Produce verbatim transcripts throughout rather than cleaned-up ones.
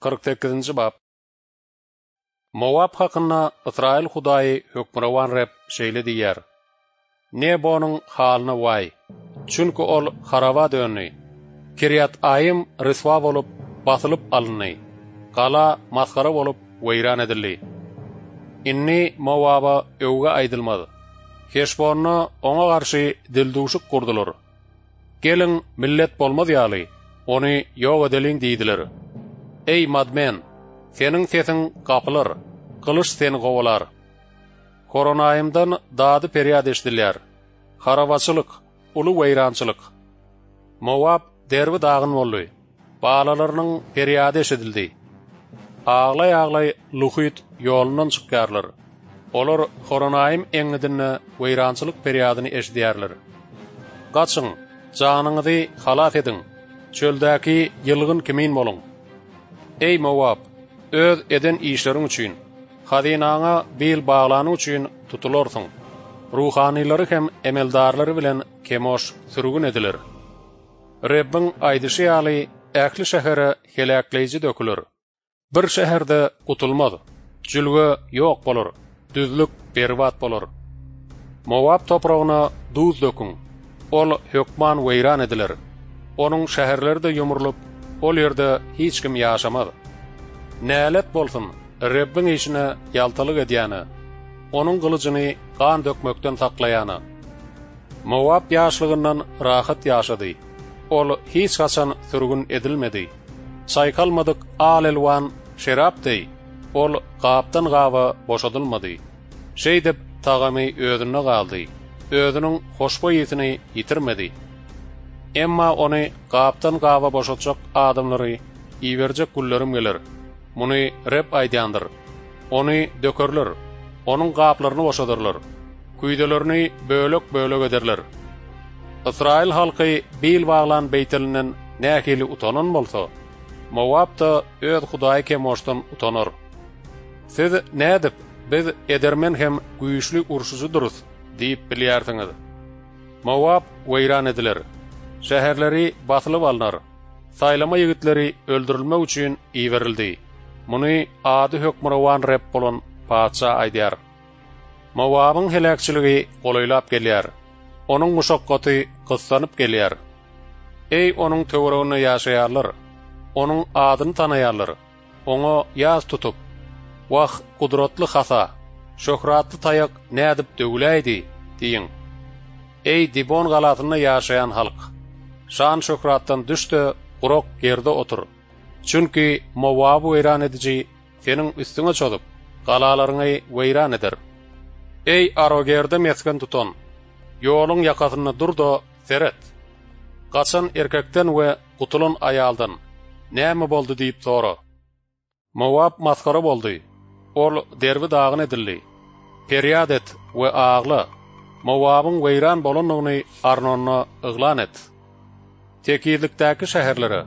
Kyrk sekizinji bap. Mowap hakynda Ysraýyl Hudaýy Hökmürowan Reb şeýle diýýär: Nebonyň halyna waý! Çünki ol haraba döndi. Kirýat-Aýym ryswa bolup, basylyp alyndy. Gala masgara bolup, weýran edildi. Indi Mowaba öwgi aýdylmaz. Heşbonda oňa garşy dildüwşük gurdular. Geliň, millet bolmaz ýaly, ony ýok edeliň diýdiler. Eý, Madmen, seniň sesiň gapylar, gylyç seni kowalar. Horonaýymdan dady-perýat eşidilýär. Harabaçylyk, uly weýrançylyk. Mowap derbi-dagyn boldy. Balalarynyň perýady eşidildi. Aglaý-aglaý Luhyt ýolundan çykýarlar. Olar Horonaýym eňňidinde weýrançylyk perýadyny eşidýärler. Gaçyň, janyňyzy halas ediň, çöldäki ýylgyn kimin boluň. Eý, Mowap, öz eden işleriň üçin, hazynaňa bil baglanyň üçin tutularsyň. Ruhanylary hem emeldarlary bilen Kemoş sürgün ediler. Rebbiň aýdyşy ýaly, ähli şähere heläkleýji döküler. Bir şäherde gutulmaz, jülge ýok bolar, düzlük berbat bolar. Mowap topragyna duz döküň, ol hökman weýran ediler. Onuň şäherleri-de ýumrulyp, ol ýerde hiç kim ýaşamaz. Nälet bolsun Rebbiň işine ýaltalyk edýäne, Onuň gylyjyny gan dökmekden saklaýana. Mowap ýaşlygyndan rahat ýaşady. Ol hiç haçan sürgün edilmedi. Çaýkalmadyk al-elwan şerap deý, ol gapdan-gaba boşadylmady. Şeýdip, tagamy özünde galdy, özüniň hoşboý ysyny ýitirmedi. Emma ony gapdan-gaba boşatjak adamlary iberjek günlerim geler. Muny Reb aýdýandyr. Ony dökerler, onuň gaplaryny boşadarlar, küýzelerini bölek-bölek ederler. Ysraýyl halky bil baglan Beýtelinden nähili utanan bolsa, Mowap-da öz hudaýy Kemoşdan utanar. Siz nädip, Biz edermen hem güýçli urşujydyrys diýip bilýärsiňiz? Mowap weýran ediler, şäherleri basylyp alnar, saýlama ýigitleri öldürilmek üçin iberildi. Muny ady Hökmürowan Reb bolan Patyşa aýdýar. Mowabyň heläkçiligi golaýlap gelýär, onuň muşakgaty gyssanyp gelýär. Eý, onuň töwereginde ýaşaýanlar, onuň adyny tanaýanlar, oňa ýas tutup, Wah, gudratly hasa, şöhratly taýak nädip döwüläýdi? diýiň. Eý, Dibon galasynda ýaşaýan halk, şan-şöhratdan düş-de, gurak ýerde otur. Çünki Mowaby weýran ediji seniň üstüňe çozup, galalaryňy weýran eder. Eý, Arogerde mesgen tutan, ýoluň ýakasynda dur-da, seret! Gaçan erkekden we gutulan aýaldan, Näme boldy diýip sora. Mowap masgara boldy, ol derbi-dagyn edildi. Perýat et we agla, Mowabyň weýran bolandygyny Arnonda yglan et. Tekizlikdäki şäherlere,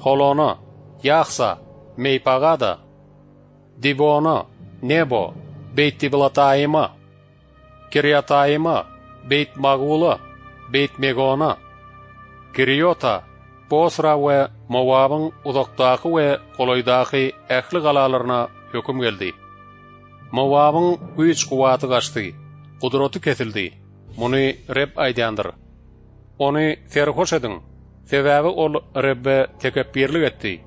Holona, Ýahsa, Meýpagada, Dibona, Nebo, Beýtdiblataýyma, Kirýataýyma, Beýtmagula, Beýtmegona, Kiriýota, Bosra we Mowabyň uzakdaky we golaýdaky ähli galalaryna höküm geldi. Mowabyň güýç-kuwwaty gaçdy, gudraty kesildi, muny Reb aýdýandyr. Ony serhoş ediň, sebäbi ol Rebbe tekepbirlik etdi.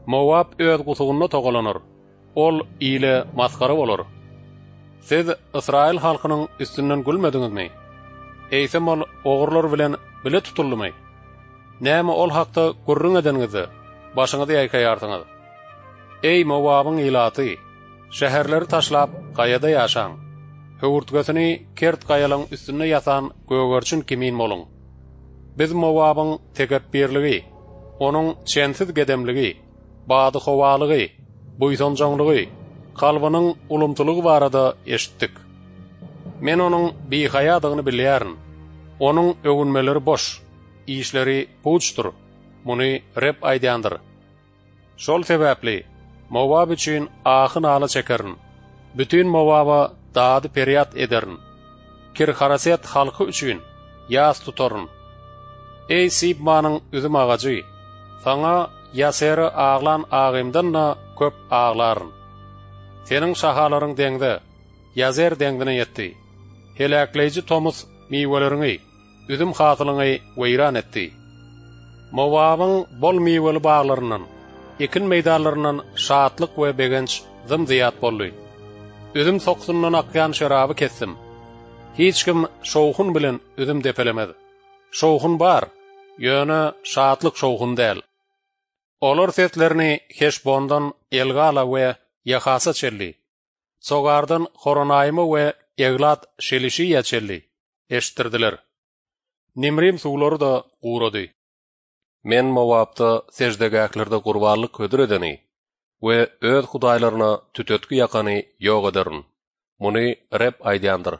Mowap öz gusugynda togalanar, ol ile masgara bolar. Siz ysraýyl halkynyň üstünden gülmediňizmi? Eýsem ol ogrular bilen bile tutuldymy? Näme ol hakda gürrüň edeniňizde, başyňyzy ýaýkaýarsyňyz? Eý, Mowabyň ilaty, şäherleri taşlap, gaýada ýaşaň! Höwürtgesini kert gaýalaň üstünde ýasan gögerçin kimin boluň! Biz Mowabyň tekepbirligi, onuň çensiz gedemligi, badyhowalygy, buýsanjaňlygy, kalbynyň ulumsylygy barada eşitdik. Men onuň bihaýadygyny bilýärin. Onuň öwünmeleri boş, işleri puçdur. Muny Reb aýdýandyr. Şol sebäpli Mowap üçin ahy-nala çekerin, bütin Mowaba dady-perýat ederin. Kir-Haraset halky üçin ýas tutaryn. Eý, Sibmanyň üzüm agajy, saňa Ýasere aglan agymdan-da köp aglaryn. Seniň şahalaryň deňze, Ýazer deňzine ýetdi. Heläkleýji tomus miweleriňi, üzüm hasylyňy weýran etdi. Mowabyň bol miweli baglaryndan, ekin meýdanlaryndan şatlyk we begenç zym-zyýat boldy. Üzüm sokusundan akýan şeraby kesdim. Hiç kim şowhun bilen üzüm depelemez. Şowhun bar, ýöne şatlyk şowhun däl. Olar seslerini Heşbondan Elgala we Ýahasa çenli, Sogardan Horonaýyma we Eglat Şelişiýä çenli eşitdirdiler. Nimrim suwlary-da gurady. Men Mowapda seždegählerde gurbanlyk hödür edeni we öz hudaýlaryna tütetgi ýakany ýok ederin. Muny Reb aýdýandyr.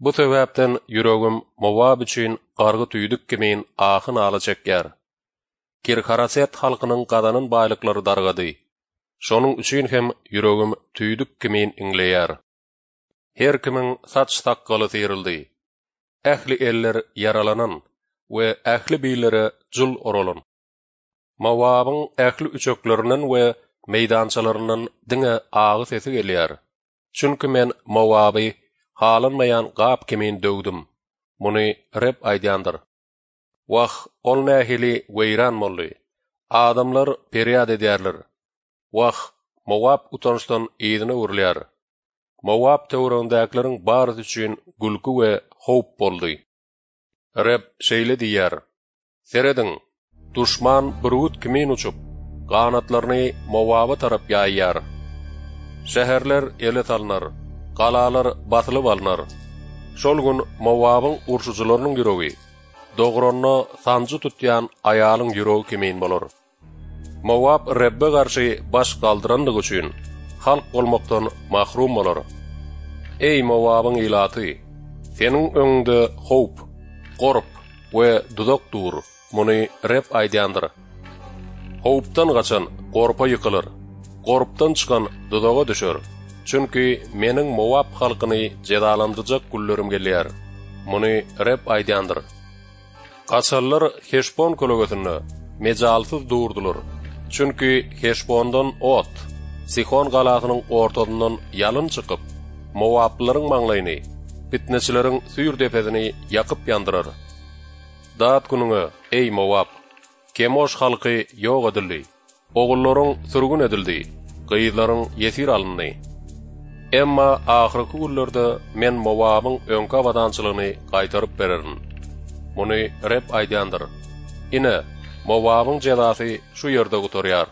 Bu sebäpden ýüregim Mowap üçin gargy tüýdük kimin ahy-nala çekýär. Kirharaset halkynyň gazanan baýlyklary dargady. Şonuň üçin hem ýüregim tüýdük kimin iňleýär. Her kimiň saç-sakgaly syryldy. Ähli eller ýaralanan we ähli billere jul oralan. Mowabyň ähli üçeklerinden we meýdançalaryndan diňe agy sesi gelýär. Çünki men Mowaby halanmaýan gap kimin döwdüm. Muny Reb aýdýandyr. Wah, ol nähili weýran boldy. Adamlar perýat edýärler. Wah, Mowap utançdan yzyna öwrülýär. Mowap töweregindäkileriň barysy üçin gülki we howp boldy. Reb şeýle diýýär: Serediň, duşman bürgüt kimin uçup, ganatlaryny Mowaba tarap ýaýýar. Şäherler ele salnar, galalar basylyp alnar. Şol gün Mowabyň urşujylarynyň ýüregi dogranda sanjy tutýan aýalyň ýüregi kimin bolar. Mowap Rebbe garşy baş galdyrandygy üçin halk bolmakdan mahrum bolar. Eý Mowabyň ilaty, seniň öňüňde howp, gorp we duzak dur. Muny Reb aýdýandyr. Howpdan gaçan gorpa ýykylar, gorpdan çykan duzaga düşer. Çünki meniň Mowap halkyny jezalandyrjak günlerim gelýär. Muny Reb aýdýandyr. Gaçanlar Heşbon kölegesinde mejalsyz durdular. Çünki Heşbondan ot, Sihon galasynyň ortasyndan ýalyn çykyp, Mowaplylaryň maňlaýyny, fitneçileriň süýr depesini ýakyp ýandyrar. Dat günüňe, eý Mowap! Kemoş halky ýok edildi. Ogullaryň sürgün edildi, gyzlaryň ýesir alyndy. Emma ahyrky günlerde men Mowabyň öňki abadançylygyny gaýtaryp bererin. Muny Reb aýdýandyr. Ine, Mowabyň jezasy şu ýerde gutarýar.